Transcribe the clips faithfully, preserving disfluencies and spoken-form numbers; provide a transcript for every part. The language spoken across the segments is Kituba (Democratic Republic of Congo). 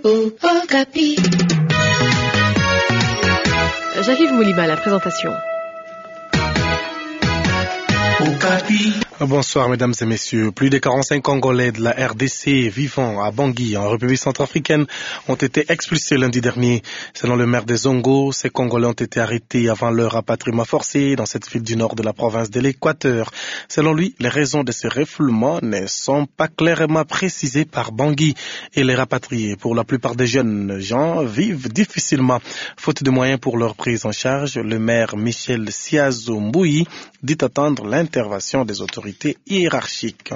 Okapi. J'arrive, Mouliba, la présentation. Okapi. Bonsoir, mesdames et messieurs. Plus de quarante-cinq Congolais de la R D C vivant à Bangui, en République centrafricaine, ont été expulsés lundi dernier. Selon le maire de Zongo, ces Congolais ont été arrêtés avant leur rapatriement forcé dans cette ville du nord de la province de l'Équateur. Selon lui, les raisons de ce refoulement ne sont pas clairement précisées par Bangui et les rapatriés. Pour la plupart des jeunes gens vivent difficilement, faute de moyens pour leur prise en charge. Le maire Michel Siazo Mbouyi dit attendre l'intervention des autorités hiérarchiques.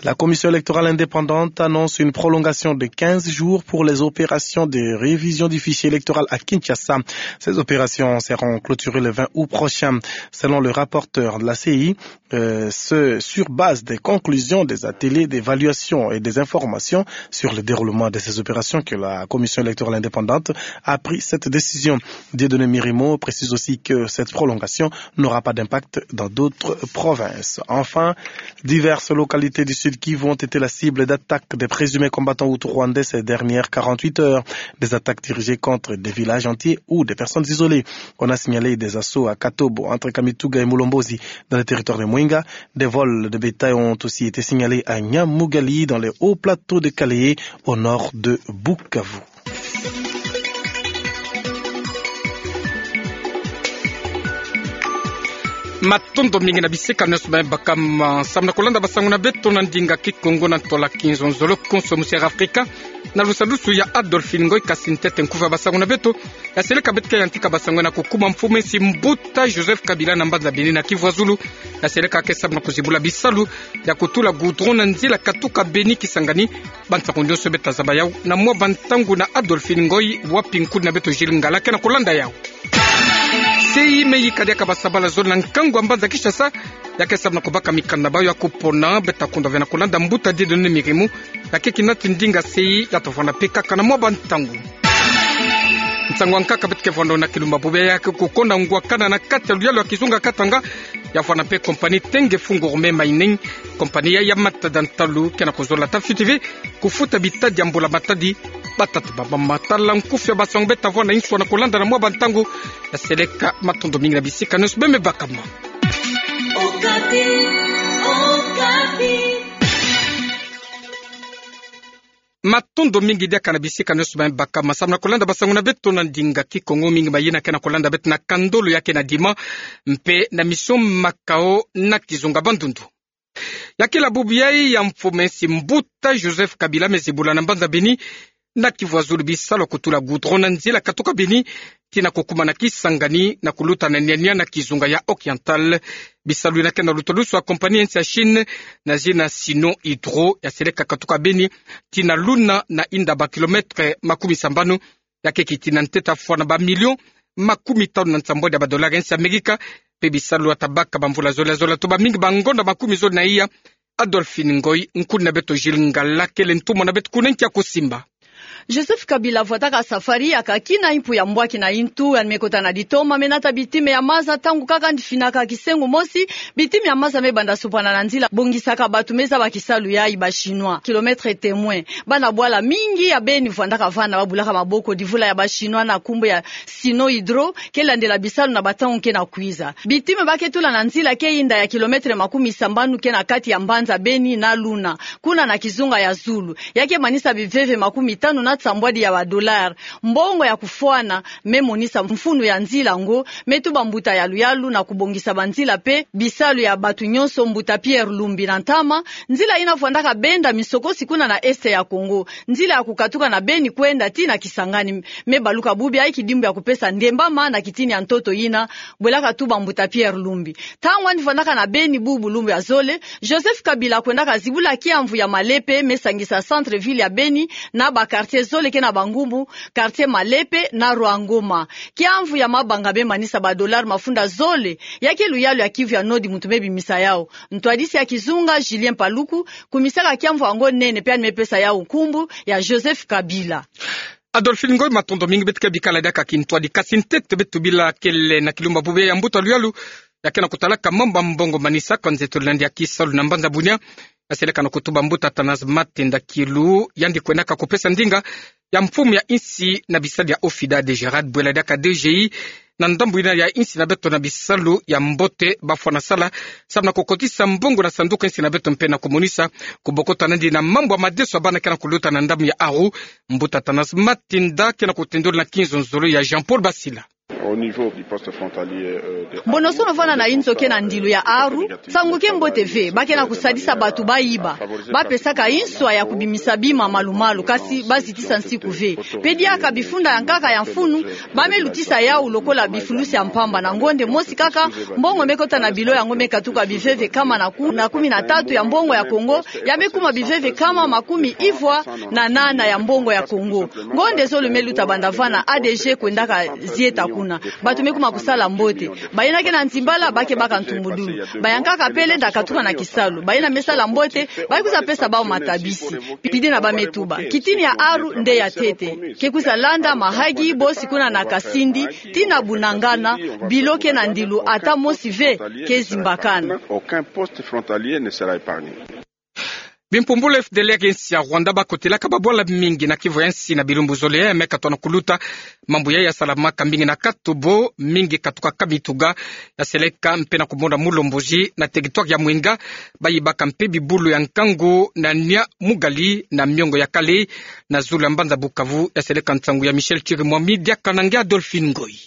La Commission électorale indépendante annonce une prolongation de quinze jours pour les opérations de révision du fichier électoral à Kinshasa. Ces opérations seront clôturées le vingt août prochain. Selon le rapporteur de la C E I, euh, ce, sur base des conclusions des ateliers d'évaluation et des informations sur le déroulement de ces opérations que la Commission électorale indépendante a pris cette décision. Dieudonné Mirimo précise aussi que cette prolongation n'aura pas d'impact dans d'autres provinces. Enfin, diverses localités du Sud Kivu ont été la cible d'attaques des présumés combattants hutus rwandais ces dernières quarante-huit heures. Des attaques dirigées contre des villages entiers ou des personnes isolées. On a signalé des assauts à Katobo, entre Kamituga et Mulombozi, dans le territoire de Mwenga. Des vols de bétail ont aussi été signalés à Nyamugali, dans les hauts plateaux de Kalehe, au nord de Bukavu. Matondo mingi na bisika nyonso me bakama, samu na kolanda basango na beto na ndinga Kikongo na ntola kinzonzolo konso mu Sierra Afrika, na lusalusu ya Adolphine Ngoy, kasi ntete nkufi ya basango na beto. Ya seleka beto ke yantika basango na kukuma mfumu esi mbuta Joseph Kabila na mbanza Beni na Kivu ya Zulu. Ya seleka ke samu na kuzibula bisalu ya kutula goudron na nzila katuka Beni Kisangani. Bansango nyonso beto ta zaba yau na mwa bantangu na Adolphine Ngoy, wapi nkuni na beto Gilles Ngala ke na kolanda yau. C E I me yika diaka basabala zole na nkangu ya mbanza Kinshasa, ya ke samu na kubaka mikanda na bayo ya kupona. Beto ta kunda ve na kolanda mbuta Dieudonné Mirimo, ya ke kinati ndinga C E I, ya ta vwanda mpe kaka na mwa bantangu. Nsangu ya nkaka beto ke vwanda na Kilumba Bubu ya ke kukonda ngwakana na kati ya luyalu ya kizunga Katanga, ya vwanda mpe compagnie Tengefu Gourmet Mining, compagnie ya, ya matada ntalu ke na kuzola ta fiti ve kufuta bitadi ya mbula-matadi. Batata bamama, tala nkufi ya basango beto ta vwanda inso na kolanda na mwa bantangu. Ya seleka, matondo mingi na bisika nyonso beno me bakama. Okapi, Okapi. Matondo mingi diaka na bisika nyonso beno me bakama, samu na kolanda basango na beto na ndinga Kikongo. Mingi mayena ke na kolanda beto na Kandolo ya ke na Dima, mpe na Mission Makao na kizunga Bandundu. Ya kila bubu yai ya mfumu esi mbuta Joseph Kabila me zibula na mbanza Beni na Kivu ya Zulu bisalu ya kutula goudron na nzila katuka Beni tii na kukuma na Kisangani na kuluta na Niania na kizunga ya Oriental. Bisalu yina ke na lutalusu ya compagnie ya nsi ya Chine na zina Sino Hydro. Ya seleka katuka Beni tii na Luna na inda ba kilomètre makumi sambanu. Ya ke kiti na ntete ya fwana ba million makumi tanu na nsambwadi ya ba dollars ya nsi ya Amerika. Mpe bisalu ya tabaka bamvula zole zole, toba mingi bangonda makumi zole na iya. Adolphine Ngoy, nkuni na beto Gilles Ngala, kele ntumwa na beto kuna nki ya kusimba. Joseph Kabila vwataka safari ya kakina impu ya mbwaki na intu, yandi me kota na ditoma, me nata bitime ya maza. Ntangu kaka yandi finaka kisengo mosi, bitime ya maza me banda sopana na nzila, bongisaka bato me zaba kisalu yai, ba Chinois. Kilomètre témoin. Bana bwala mingi ya Beni vwandaka vanda babulaka maboko divula ya ba Chinois na nkumbu ya Sino Hydro, ke landela bisalu na bantangu ke na kwiza. Bitime ba ke tula na nzila ke inda ya kilomètre makumi sambanu ke na kati ya mbanza Beni na Luna, kuna na kizunga ya Zulu. Ya ke manisa biveve makumi tanu na nsambwadi ya ba dollars. Mbongo ya kufwana me monisa mfunu ya nzila yango, me tuba mbuta ya luyalu na kubongisa banzila mpe bisalu ya bato nyonso, mbuta Pierre Lumbi na ntama. Nzila yina vwandaka benda misokosi kuna na Est ya Congo. Nzila ya kukatuka na Beni kwenda tii na Kisangani me baluka bubu yai, kidimbu ya kupesa ndembama na kitini ya ntoto yina, bwelaka tuba mbuta Pierre Lumbi. Ntangu yandi vwandaka na Beni bubu lumbu ya zole, Joseph Kabila kwendaka zibula kiamvu ya Malepe me sangisa centre-ville ya Beni na ba quartiers zole ke na bangumbu, quartier Malepe na Rwangoma. Kiamvu ya mabanga me manisa ba dollars mafunda zole. Ya ke luyalu ya Kivu ya Nord muntu me bimisa yau. Ntwadisi ya kizunga, Julien Paluku, kumisaka kiamvu yango nene, mpe yandi me pesa yau nkumbu ya Joseph Kabila. Adolphine Ngoy, matondo mingi. Beto ke bikala diaka kintwadi, kasi ntete beto bila kele na Kilumba Bubu ya mbuta luyalu, ya ke na kutalaka mambu ya mbongo manisaka nzetolo na yandi ya kisalu na mbanza Bunia. yaseleka na kutuba mbuta Athanase Matenda Kielou, yandi kwendaka kupesa ndinga ya mfumu ya insi na bisadi ya OFIDA, Gerard Bwela diaka DGI, na ndambu yina ya insi na beto na bisalu ya mbote bafwana sala, samu na kukotisa mbongo na sanduku ya insi na beto mpe na kumonisa kubokota nandi na mambu ya madeso ya bana ke na kuluta na ndambu ya Aru. Mbuta Athanase Matenda ke na kutendula na kinzonzolo ya Jean-Paul Basila. Au niveau du poste frontalier, euh, de Mbonosono vana na inzo ke na ndilu ya Aru, nsangu ke mbote ve, ba ke na kusadisa bato bayiba, bapesaka inswa ya kubimisa bima malu-malu, kasi bazitisa nsiku ve. Pe diaka bifunda ya nkaka ya mfunu, ba me lutisa yawu lokola bifulusi ya mpamba na ngonde mosi kaka, mbongo me kota na bilo yango me katuka biveve kama na ku-, na kumi na tatu ya mbongo ya Kongo, ya me kuma biveve kama makumi ivwa na nana ya mbongo ya Kongo. Ngonde zole me luta banda vana A D G kwendaka zieta kuna. Bato me kuma kusala mbote. Bayina ke na nzimbala, ba ke baka ntumbudulu. Ba ya nkaka pe lenda katuka na kisalu. Bayina me sala mbote, ba ke kwiza pesa bawu matabisi. Pidi na ba me tuba: Kitini ya Aru nde ya ntete. Ke kwiza landa mahagi bosi kuna na Kasindi, tii na Bunagana, bilo ke na ndilu ata mosi ve ke zimbakana. Aucun poste frontalier ne sera épargné. Bimpumbulu F D L R ya insi ya Rwanda bakotelaka babwala mingi na Kivu ya nsi na bilumbu zole ya me katoka na kuluta. Mambu yayi yasalamaka mingi na Katobo, mingi katuka Kamituga, yaseleka mpe na kumona Mulomboji na territoire ya Mwenga. Bayibaka mpe bibulu ya nkangu na Nyamugari na miongo ya Kalehe, na zulu ya mbanza Bukavu. Yaseleka nsangu ya Michel Chirimwami diaka na nge Adolphine Ngoyi.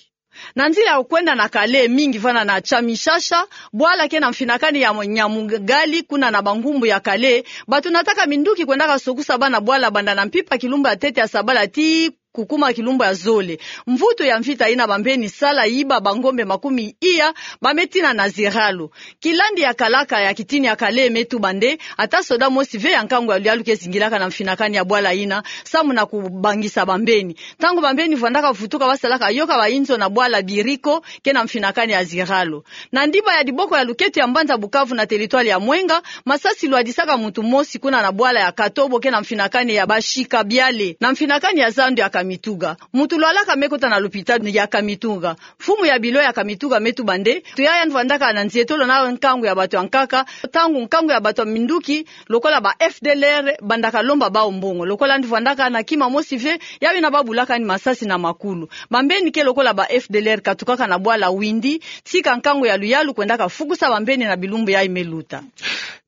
Na nzila ya kwenda na Kalehe, mingi vana na Chamishasha, bwala ke na mfinakani ya Nyamugari, kuna na bangumbu ya Kalehe, bato nataka minduki kwendaka sokusa bana bwala banda na mpimpa kilumbu ya ntete ya sabala tii kukuma kilumbu ya zole. Mvutu ya mvita yina bambeni sala yiba bangombe makumi iya, ba me tina na ziralo. Kilandi ya kalaka ya kitini ya Kalehe me tuba nde, ata soda mosi ve ya nkangu ya luyalu ke zingilaka na mfinakani ya bwala yina, samu na kubangisa bambeni. Ntangu bambeni vwandaka vutuka, basalaka yoka bainzo na bwala Biriko, ke na mfinakani ya ziralo. Na ndiba ya diboko ya luketo ya mbanza Bukavu na territoire ya Mwenga, masasi lwadisaka muntu mosi kuna na bwala ya Katobo, ke na mfinakani ya Bashika Biale, na mfinakani ya zando ya Kamituga. Muntu lwalaka me kota na lupitalu ya Kamituga. Mfumu ya bilo ya Kamituga me tuba nde, muntu yayi yandi vwandaka na nzietolo na nkangu ya bato ya nkaka, ntangu nkangu ya bato ya minduki, lokola ba F D L R, bandaka lomba bawu mbongo. Lokola yandi vwandaka na kima mosi ve, ya bina babulaka yandi masasi na makulu. Bambeni ke lokola ba F D L R katukaka na bwala Windi, tika nkangu ya luyalu kwendaka fukusa bambeni na bilumbu yayi me luta.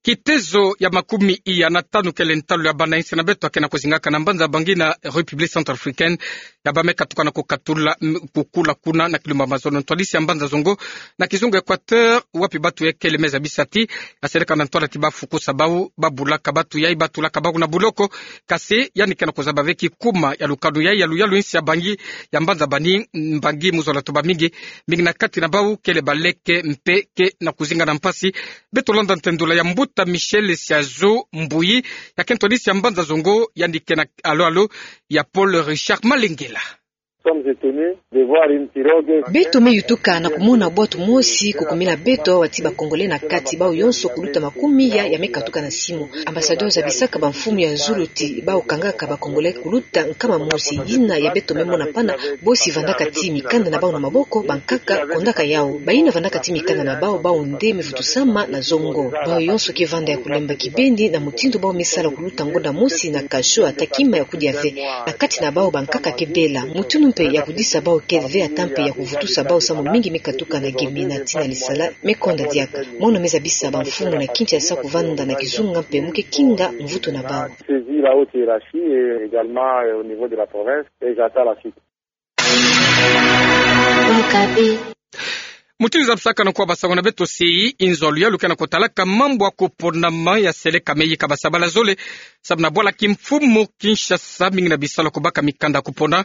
Kitezo ya makumi iya na tanu kele ntalu ya bana insi na beto ya ke na kuzingaka na mbanza Bangui na République Centrafricaine, ya ba me katuka na kukatula, m-, kukula kuna na kilumbu ya mazono. Ntwadisi ya mbanza Zongo na kizunga Équateur, wapi bato ya kele me zabisa ti, yaseleka na ntwala ti bafukusa bawu, babulaka bato yayi, batulaka bawu na buloko. Kasi yandi ke na kuzaba ve ti kuma ya lukanu yayi ya luyalu insi ya Bangui, ya mbanza Bangui, Bangui mu zola tuba mingi, mingi na kati na bawu kele baleke mpe ke na kuzinga na mpasi. Beto landa ntendula ya mbuta Michel Siazo Mbuyi, ya ke ntwadisi ya mbanza Zongo, yandi ke na alo-alo ya Paul Richard Malengela. Sommes étonnés de voir une pirogue. Beto me yutuka na kumona bwato mosi kukumila beto, awa ti ba Congolais na kati, bawu yonso kuluta makumi iya ya me katuka na simu. Ambassadeur zabisaka bamfumu ya zulu ti bawu kangaka ba Congolais kuluta nkama mosi. Yina ya beto me mona pana, bosi vandaka ti mikanda na bawu na maboko, bankaka kondaka yawu. Bayina vandaka ti mikanda na bawu, bawu nde me vutusama na Zongo. Bawu yonso ke vanda ya kulemba kibeni na mutindu bawu me sala kuluta ngonda mosi na cachot, ata kima ya kudia ve. Na kati na bawu bankaka ke bela. Mutindu mpe ya kudisa bawu ke ve, ata mpe ya kuvutusa bawu, samu mingi me katuka na Gemena tii na Lisala, me konda diaka. Mono me zabisa bamfumu na Kinshasa kuvanda na kizunga mpe mu ke kinga mvutu na bawu. Saisi la haute hiérarchie et également, euh, au niveau de la province, et j'attends la suite. Mutindu zabisaka na kwa basangwa na beto si, inzo ya luyalu ke na kutalaka mambu ya kuponama yaseleka me yika basabala zole, samu na bwala kimfumu Kinshasa, mingi na bisalu kubaka mikanda kupona.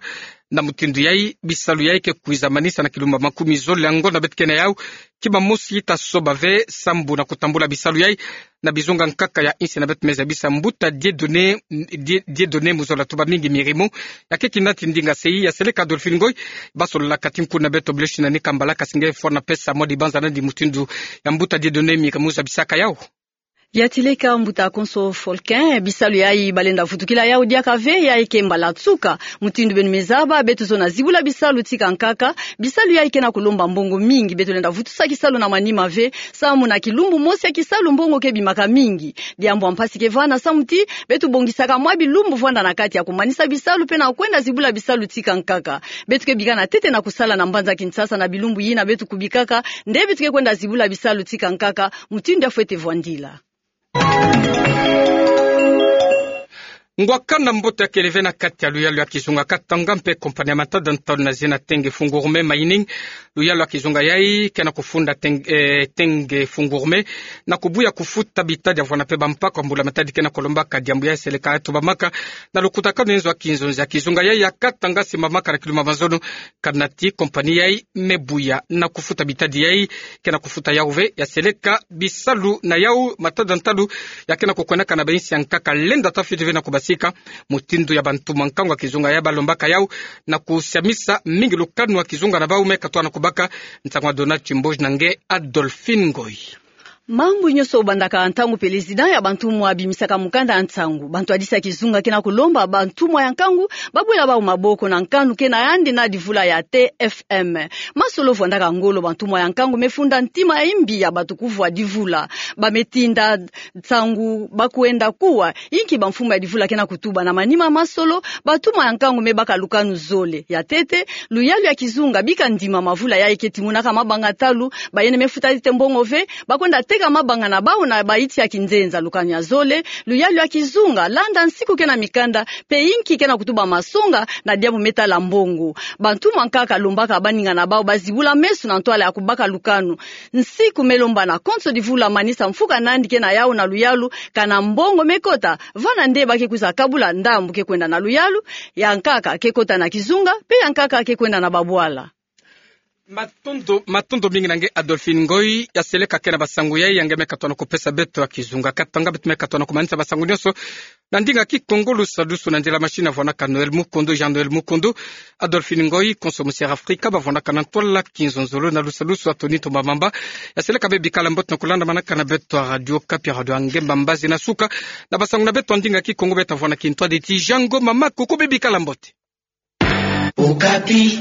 Na mutindu yayi, bisalu yayi ke kwiza manisa na kilumbu ya makumi zole ya ngonda beto ke na yawu. Kima mosi ta soba ve sambu na kutambula bisalu yayi na bizunga nkaka ya insi na beto, me zabisa mbuta Dieudonné, Die-, Dieudonné mu zola tuba mingi Mirimo. Ya ke kinati ndinga si yaseleka Adolphine Ngoyi, basololaka ti nku na beto bilosi na ni kambala, kasi nge fwana pesa mwa dibanza nandi mutindu ya mbuta Dieudonné Mirimo zabisaka yawu. Ya tileka mbuta konso Folkin, bisalu yayi balenda vutukila yawu diaka ve, yayi ke mbala tsuka. Mutindu beno me zaba, beto zono zibula bisalu tika nkaka, bisalu yayi ke na kulomba mbongo mingi, beto lenda vutusa kisalu na manima ve, samu na kilumbu mosi ya kisalu mbongo ke bimaka mingi. Diambu ya mpasi ke vana samu ti, beto bongisaka mwa bilumbu vwanda na kati ya kumanisa bisalu pe na kwenda zibula bisalu tika nkaka. Beto ke bika na ntete na kusala na mbanza Kinshasa na bilumbu yina beto kubikaka, nde beto ke kwenda zibula bisalu tika nkaka, mutindu ya fwete vwandila. Ngwakana mbote ya kele ve na kati ya luyalu ya kizunga Katanga mpe compagnie ya matada ntalu na zina Tenge Fungurume Mining. Luyalu ya kizunga yayi ke na kufunda Teng-, eh, Tenge Fungurume na kubuya kufuta bitadi ya vwanda mpe bampako ya mbula-matadi ke na kulombaka diambu yayi seleka ya tobamaka na lukutakanu ya nzo ya kinzonzi ya kizunga yayi ya Katanga simbamaka na kiluma mazono. Kana ti compagnie yayi me buya na kufuta bitadi yayi, ke na kufuta yawu ve, ya seleka bisalu na yawu, matada ntalu ya ke na kukwendaka na bainsi ya nkaka lenda ta fwete ve na kubasika. Mutindu ya bantumwa nkangu ya kizunga yayi balombaka yawu na kusiamisa mingi lukanu ya kizunga na bawu, me katwa na kubaka. Nsangu ya Donald Chimboji na nge Adolphine Ngoyi. Mambu nyonso bandaka ntangu président ya bantumwa abimisaka mukanda ya nsangu. Bantwadisi ya kizunga ke na kulomba bantumwa ya nkangu babwela bawu maboko na nkanu ke na yandi na divula ya T F M. Masolo vwandaka ngolo, bantumwa ya nkangu me funda ntima ya imbi ya bato kuvwa divula. Ba me tinda nsangu ba kwenda kuwa inki bamfumu ya divula ke na kutuba. Na manima masolo, bantumwa ya nkangu me baka lukanu zole. Ya ntete, luyalu ya kizunga bika ndima mavula yayi ke timonaka mabanga ntalu, bayene me futa ntete mbongo ve, ba kwenda teka mabanga na bawu na baiti ya kinzenza. Lukanu ya zole, luyalu ya kizunga landa nsiku ke na mikanda, mpe inki ke na kutuba masonga na diambu me tala mbongo. Bantumwa nkaka lombaka baninga na bawu bazibula meso na ntwala ya kubaka lukanu. Nsiku me lomba na konso divula manisa mfuka nandi ke na yawu na luyalu, kana mbongo me kota, vana nde ba ke kwiza kabula ndambu ke kwenda na luyalu, ya nkaka ke kota na kizunga, mpe ya nkaka ke kwenda na babwala. Matondo, matondo mingi na nge Adolphine Ngoyi. Ya seleka ke na basangu yayi ya nge me katwa na kupesa beto ya kizunga Katanga. Beto me katwa na kumanisa basangu nyonso na ndinga Kikongo. Lusadusu na nzila machine avwanaka Noël Mukundu, Jean Noël Mukundu. Adolphine Ngoyi, konso Musière Afrika bavwanaka na ntwala kinzonzolo, na lusadusu Anthony Ntumba Mamba. Ya seleka beno bikala mbote na kulanda manaka na beto ya Radio Okapi, radio ya ngemba mbazi na suka na basangu na beto ya ndinga Kikongo. Beto vwanda kintwadi ti jango mama, koko beno bikala mbote. Okapi.